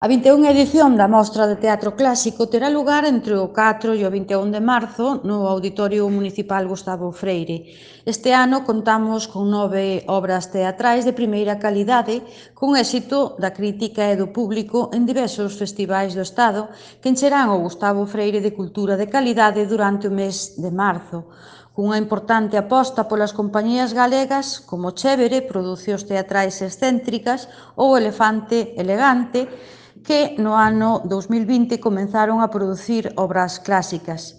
A 21ª edición da Mostra de Teatro Clásico terá lugar entre o 4 e o 21 de marzo no Auditorio Municipal Gustavo Freire. Este ano contamos con 9 obras teatrais de primeira calidade, con éxito da crítica e do público en diversos festivais do Estado que encherán o Gustavo Freire de cultura de calidade durante o mes de marzo, cunha importante aposta polas compañías galegas como Chévere, Producións Teatrais Excéntricas ou Elefante Elegante, que no ano 2020 comenzaron a producir obras clásicas.